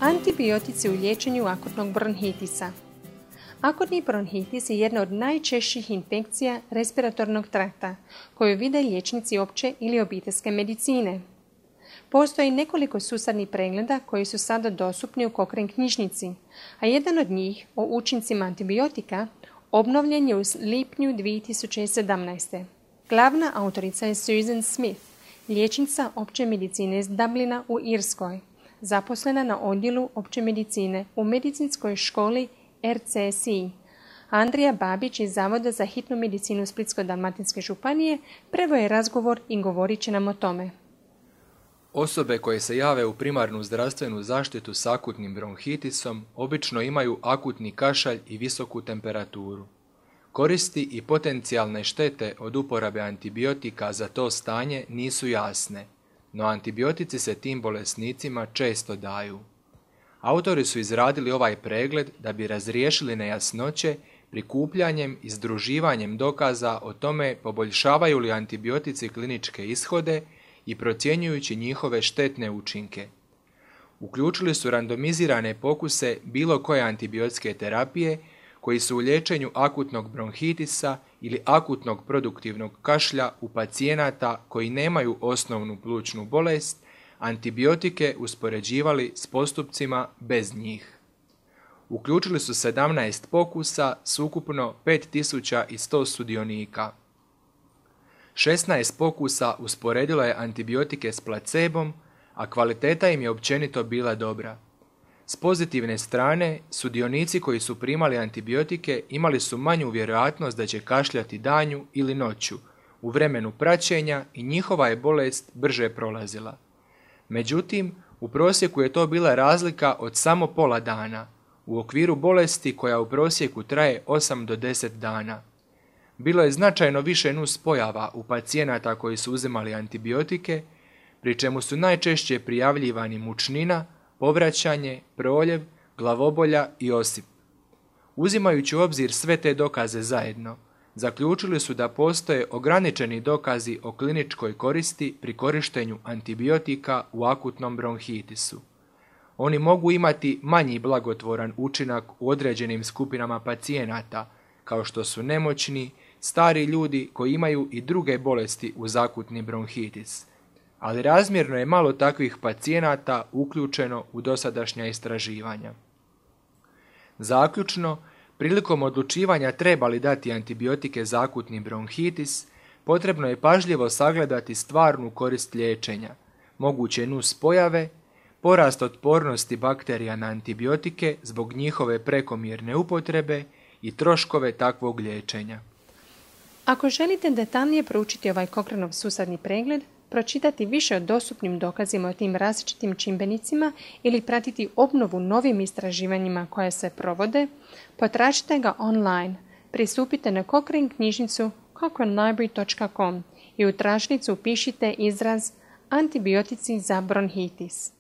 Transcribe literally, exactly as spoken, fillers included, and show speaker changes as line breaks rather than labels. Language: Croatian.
Antibiotici u liječenju akutnog bronhitisa. Akutni bronhitis je jedna od najčešćih infekcija respiratornog trakta koju vide liječnici opće ili obiteljske medicine. Postoji nekoliko sustavnih pregleda koji su sada dostupni u Cochrane knjižnici, a jedan od njih o učincima antibiotika obnovljen je u lipnju dvije tisuće sedamnaeste. Glavna autorica je Susan Smith, liječnica opće medicine iz Dublina u Irskoj, zaposlena na odjelu opće medicine u medicinskoj školi R C S I. Andrija Babić iz Zavoda za hitnu medicinu Splitsko-dalmatinske županije preveo je razgovor i govorit će nam o tome.
Osobe koje se jave u primarnu zdravstvenu zaštitu s akutnim bronhitisom obično imaju akutni kašalj i visoku temperaturu. Koristi i potencijalne štete od uporabe antibiotika za to stanje nisu jasne, no antibiotici se tim bolesnicima često daju. Autori su izradili ovaj pregled da bi razriješili nejasnoće prikupljanjem i združivanjem dokaza o tome poboljšavaju li antibiotici kliničke ishode i procjenjujući njihove štetne učinke. Uključili su randomizirane pokuse bilo koje antibiotske terapije koji su u liječenju akutnog bronhitisa ili akutnog produktivnog kašlja u pacijenata koji nemaju osnovnu plućnu bolest, antibiotike uspoređivali s postupcima bez njih. Uključili su sedamnaest pokusa s ukupno pet tisuća sto sudionika. šesnaest pokusa usporedilo je antibiotike s placebom, a kvaliteta im je općenito bila dobra. S pozitivne strane, sudionici koji su primali antibiotike imali su manju vjerojatnost da će kašljati danju ili noću, u vremenu praćenja i njihova je bolest brže prolazila. Međutim, u prosjeku je to bila razlika od samo pola dana, u okviru bolesti koja u prosjeku traje osam do deset dana. Bilo je značajno više nuspojava u pacijenata koji su uzimali antibiotike, pri čemu su najčešće prijavljivani mučnina, povraćanje, proljev, glavobolja i osip. Uzimajući u obzir sve te dokaze zajedno, zaključili su da postoje ograničeni dokazi o kliničkoj koristi pri korištenju antibiotika u akutnom bronhitisu. Oni mogu imati manji blagotvoran učinak u određenim skupinama pacijenata, kao što su nemoćni, stari ljudi koji imaju i druge bolesti uz akutni bronhitis, ali razmjerno je malo takvih pacijenata uključeno u dosadašnja istraživanja. Zaključno, prilikom odlučivanja treba li dati antibiotike za akutni bronhitis, potrebno je pažljivo sagledati stvarnu korist liječenja, moguće nuspojave, porast otpornosti bakterija na antibiotike zbog njihove prekomjerne upotrebe i troškove takvog liječenja.
Ako želite detaljnije proučiti ovaj Cochraneov sustavni pregled, pročitati više o dostupnim dokazima o tim različitim čimbenicima ili pratiti obnovu novim istraživanjima koje se provode, potražite ga online. Pristupite na Cochrane knjižnicu cochrane library dot com i u tražnicu upišite izraz antibiotici za bronhitis.